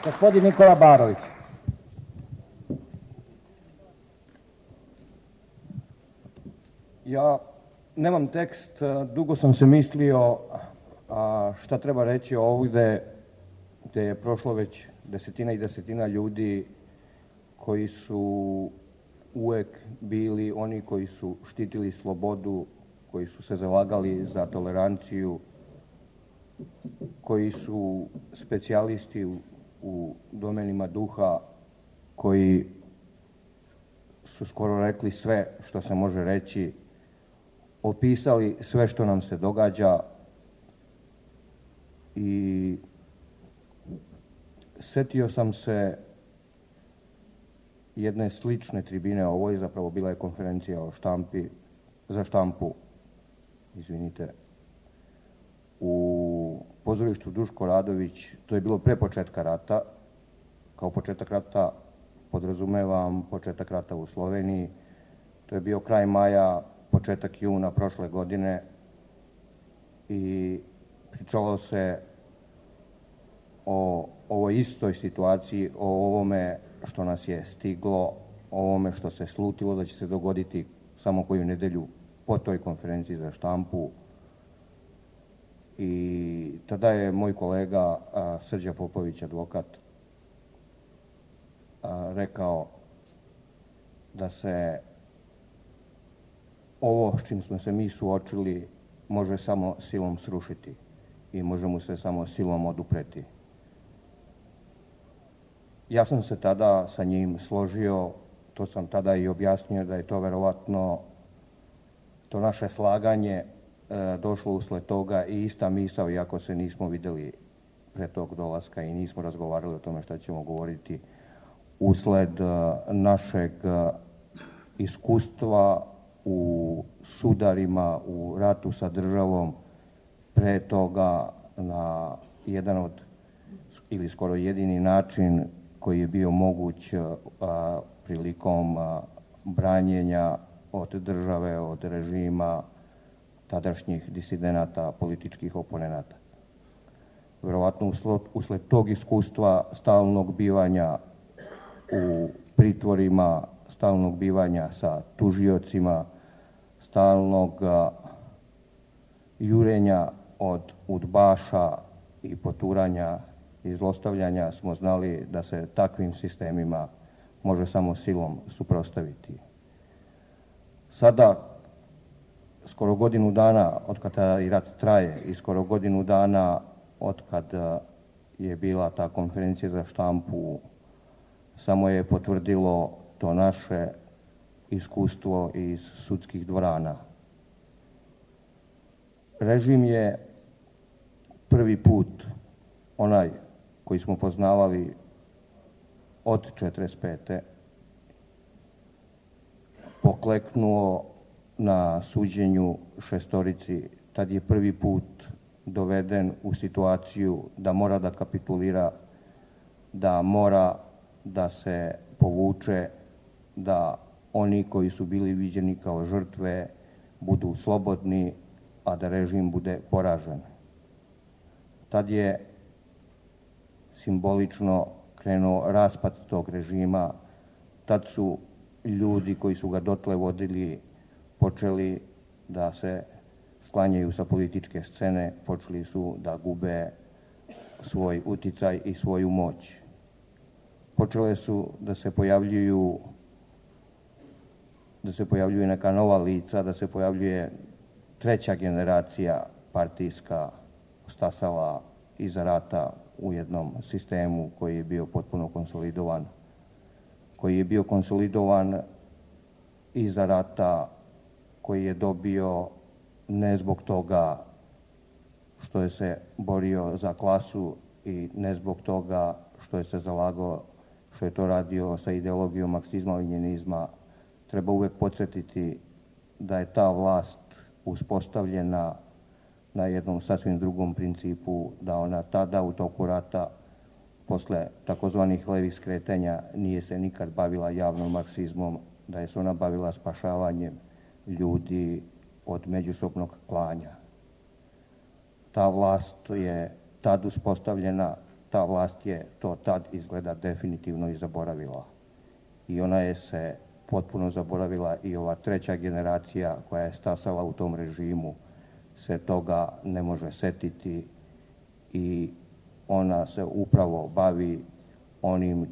Gospodin Nikola Barović. Ja nemam tekst, dugo sam se mislio šta treba reći ovdje gdje je prošlo već desetina i desetina ljudi koji su uvijek bili oni koji su štitili slobodu, koji su se zalagali za toleranciju, koji su specijalisti u domenima duha, koji su skoro rekli sve što se može reći, opisali sve što nam se događa i setio sam se jedne slične tribine ovoj, zapravo bila je konferencija o za štampu, u pozorištu Duško Radović. To je bilo pre početka rata. Kao početak rata podrazumevam početak rata u Sloveniji. To je bio kraj maja, početak juna prošle godine i pričalo se o ovoj istoj situaciji, o ovome što nas je stiglo, o ovome što se slutilo da će se dogoditi samo koju nedelju po toj konferenciji za štampu. I tada je moj kolega Srđa Popović, advokat, rekao da se ovo s čim smo se mi suočili može samo silom srušiti i može mu se samo silom odupreti. Ja sam se tada sa njim složio, to sam tada i objasnio da je to verovatno to naše slaganje došlo usled toga i ista misao, iako se nismo videli pre tog dolaska i nismo razgovarali o tome šta ćemo govoriti, usled našeg iskustva u sudarima, u ratu sa državom, pre toga na jedan od, ili skoro jedini način koji je bio moguć prilikom branjenja od države, od režima, tadašnjih disidenata, političkih oponenata. Verovatno usled tog iskustva stalnog bivanja u pritvorima, stalnog bivanja sa tužiocima, stalnog jurenja od udbaša i poturanja i zlostavljanja smo znali da se takvim sistemima može samo silom suprotstaviti. Sada, skoro godinu dana od kada i rat traje i skoro godinu dana od kada je bila ta konferencija za štampu, samo je potvrdilo to naše iskustvo iz sudskih dvorana. Režim je prvi put, onaj koji smo poznavali od 1945. pokleknuo na suđenju šestorici. Tad je prvi put doveden u situaciju da mora da kapitulira, da mora da se povuče, da oni koji su bili viđeni kao žrtve budu slobodni, a da režim bude poražen. Tad je simbolično krenuo raspad tog režima. Tad su ljudi koji su ga dotle vodili počeli da se sklanjaju sa političke scene, počeli su da gube svoj uticaj i svoju moć. Počele su da se pojavljuju neka nova lica, da se pojavljuje treća generacija partijska, stasala iza rata u jednom sistemu koji je bio potpuno konsolidovan, koji je bio konsolidovan iza rata, koji je dobio ne zbog toga što je se borio za klasu i ne zbog toga što je se zalagao, što je to radio sa ideologijom marksizma-lenjinizma. Treba uvek podsjetiti da je ta vlast uspostavljena na jednom sasvim drugom principu, da ona tada u toku rata, posle takozvanih levih skretanja, nije se nikad bavila javnom marksizmom, da je se ona bavila spašavanjem ljudi od međusobnog klanja. Ta vlast je tad uspostavljena ta vlast je to tad izgleda definitivno i zaboravila. I ona je se potpuno zaboravila i ova treća generacija koja je stasala u tom režimu se toga ne može setiti i ona se upravo bavi onim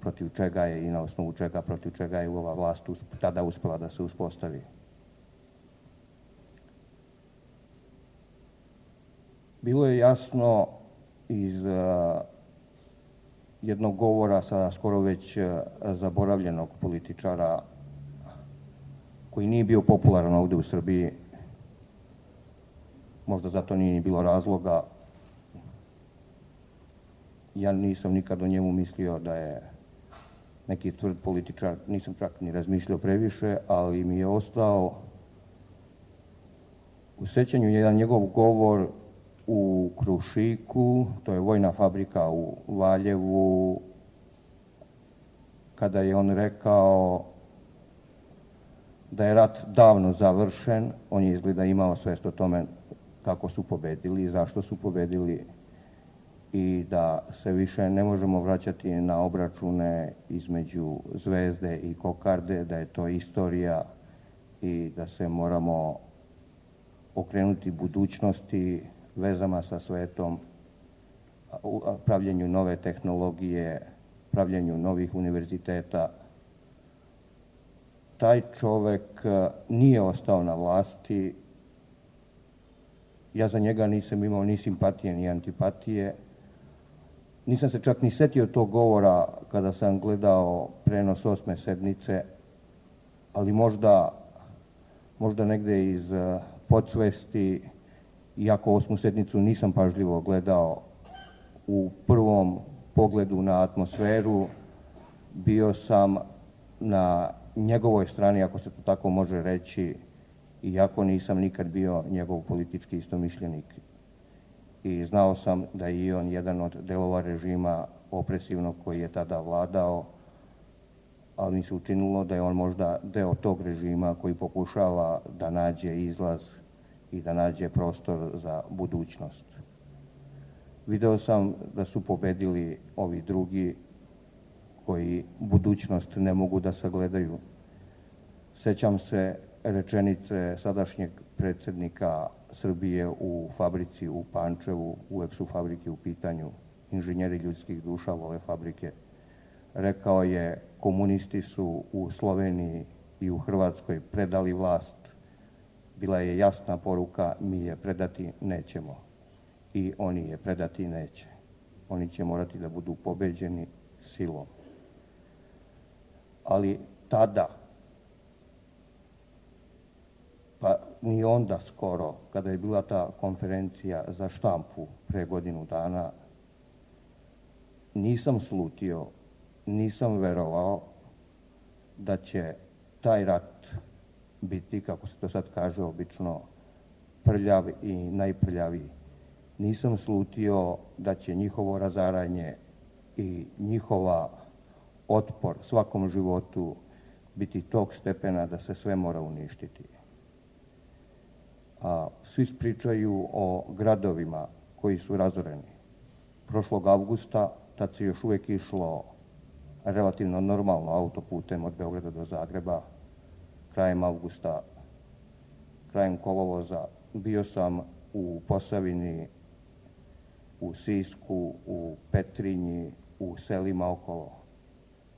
protiv čega je i na osnovu čega protiv čega je ova vlast tada uspela da se uspostavi. Bilo je jasno iz jednog govora sada skoro već zaboravljenog političara koji nije bio popularan ovde u Srbiji, možda zato nije ni bilo razloga. Ja nisam nikad o njemu mislio da je neki tvrd političar, nisam čak ni razmišljao previše, ali mi je ostao u sećanju jedan njegov govor u Krušiku, to je vojna fabrika u Valjevu, kada je on rekao da je rat davno završen. On je izgleda imao svest o tome kako su pobedili i zašto su pobedili i da se više ne možemo vraćati na obračune između Zvezde i Kokarde, da je to istorija i da se moramo okrenuti budućnosti, vezama sa svetom, pravljenju nove tehnologije, pravljenju novih univerziteta. Taj čovek nije ostao na vlasti. Ja za njega nisam imao ni simpatije ni antipatije. Nisam se čak ni setio tog govora kada sam gledao prenos 8. sednice, ali možda negde iz podsvesti, iako 8. sednicu nisam pažljivo gledao, u prvom pogledu na atmosferu bio sam na njegovoj strani, ako se to tako može reći, iako nisam nikad bio njegov politički istomišljenik. I znao sam da je i on jedan od delova režima opresivnog koji je tada vladao, ali mi se učinilo da je on možda deo tog režima koji pokušava da nađe izlaz i da nađe prostor za budućnost. Video sam da su pobedili ovi drugi koji budućnost ne mogu da sagledaju. Sećam se rečenice sadašnjeg predsjednika Srbije u fabrici u Pančevu, uvek su fabrike u pitanju, inženjeri ljudskih duša vole fabrike. Rekao je, komunisti su u Sloveniji i u Hrvatskoj predali vlast. Bila je jasna poruka, mi je predati nećemo. I oni je predati neće. Oni će morati da budu pobeđeni silom. Ali tada, pa ni onda skoro, kada je bila ta konferencija za štampu pre godinu dana, nisam slutio, nisam verovao da će taj rat biti, kako se to sad kaže obično, prljav i najprljaviji. Nisam slutio da će njihovo razaranje i njihova otpor svakom životu biti tog stepena da se sve mora uništiti. Svi pričaju o gradovima koji su razoreni. Prošlog avgusta, tad se još uvek išlo relativno normalno autoputem od Beograda do Zagreba, krajem avgusta, krajem kolovoza, bio sam u Posavini, u Sisku, u Petrinji, u selima okolo.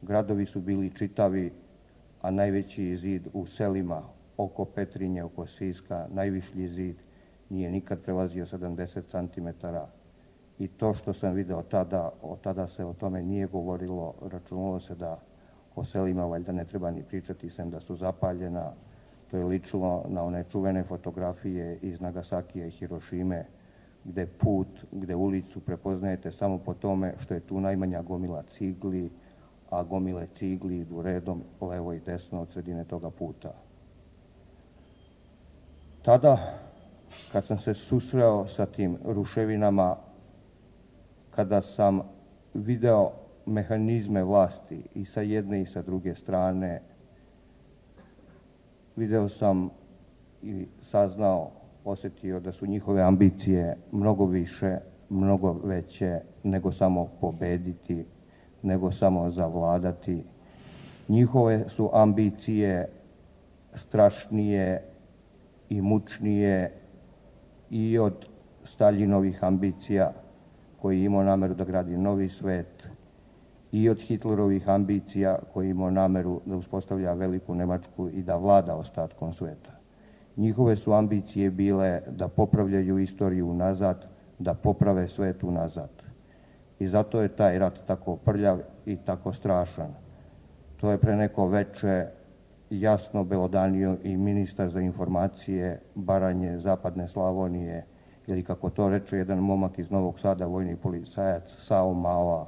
Gradovi su bili čitavi, a najveći zid u selima oko Petrinje, oko Siska, najvišlji zid, nije nikad prelazio 70 cm. I to što sam video tada, od tada se o tome nije govorilo, računalo se da o selima valjda ne treba ni pričati, sem da su zapaljena. To je ličilo na one čuvene fotografije iz Nagasakija i Hirošime, gde ulicu prepoznajete samo po tome što je tu najmanja gomila cigli, a gomile cigli idu redom levo i desno od sredine toga puta. Tada, kad sam se susreo sa tim ruševinama, kada sam video mehanizme vlasti i sa jedne i sa druge strane, video sam i saznao, osetio da su njihove ambicije mnogo više, mnogo veće nego samo pobediti, nego samo zavladati. Njihove su ambicije strašnije i mučnije i od Staljinovih ambicija koji je imao nameru da gradi novi svet i od Hitlerovih ambicija koji je imao nameru da uspostavlja veliku Nemačku i da vlada ostatkom sveta. Njihove su ambicije bile da popravljaju istoriju nazad, da poprave svet unazad. I zato je taj rat tako prljav i tako strašan. To je pre neko veče jasno belodanio i ministar za informacije Baranje, Zapadne Slavonije, ili kako to reče jedan momak iz Novog Sada, vojni policajac Sao Mala.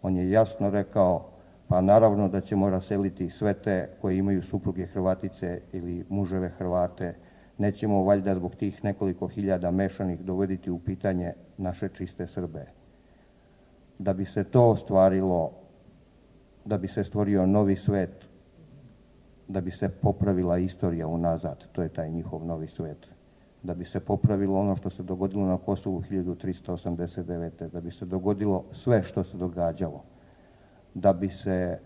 On je jasno rekao, pa naravno da ćemo raseliti sve te koji imaju supruge Hrvatice ili muževe Hrvate. Nećemo valjda zbog tih nekoliko hiljada mešanih dovoditi u pitanje naše čiste Srbe. Da bi se to ostvarilo, da bi se stvorio novi svet, da bi se popravila istorija unazad, to je taj njihov novi svet. Da bi se popravilo ono što se dogodilo na Kosovu 1389. Da bi se dogodilo sve što se događalo. Da bi se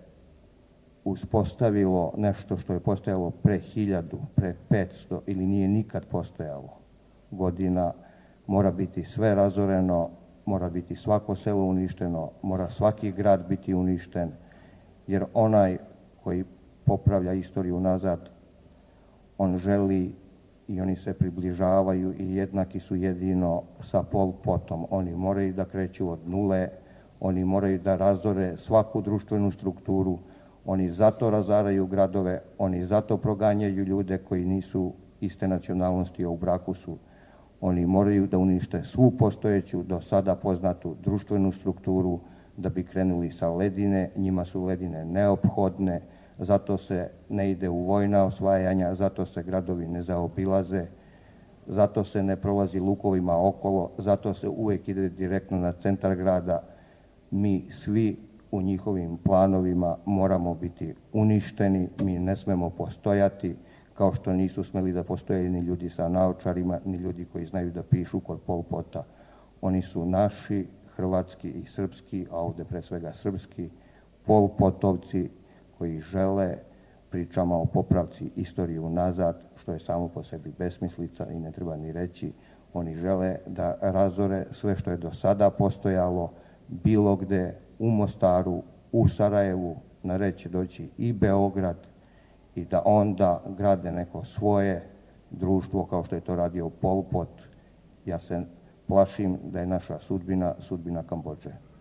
uspostavilo nešto što je postojalo pre 1000, pre 500 ili nije nikad postojalo godina, mora biti sve razoreno, mora biti svako selo uništeno, mora svaki grad biti uništen, jer onaj koji popravlja istoriju nazad, on želi i oni se približavaju i jednaki su jedino sa Pol Potom. Oni moraju da kreću od nule, oni moraju da razore svaku društvenu strukturu, oni zato razaraju gradove, oni zato proganjaju ljude koji nisu iste nacionalnosti, a u braku su. Oni moraju da unište svu postojeću, do sada poznatu društvenu strukturu, da bi krenuli sa ledine. Njima su ledine neophodne, zato se ne ide u vojna osvajanja, zato se gradovi ne zaobilaze, zato se ne prolazi lukovima okolo, zato se uvek ide direktno na centar grada. Mi svi u njihovim planovima moramo biti uništeni, mi ne smemo postojati, kao što nisu smeli da postoje ni ljudi sa naočarima, ni ljudi koji znaju da pišu kod Pol Pota. Oni su naši, hrvatski i srpski, a ovde pre svega srpski, Pol Potovci koji žele, pričama o popravci istorije unazad, što je samo po sebi besmislica i ne treba ni reći, oni žele da razore sve što je do sada postojalo, bilo gde, u Mostaru, u Sarajevu, na red će doći i Beograd, i da onda grade neko svoje društvo kao što je to radio Pol Pot. Ja se plašim da je naša sudbina sudbina Kambodže.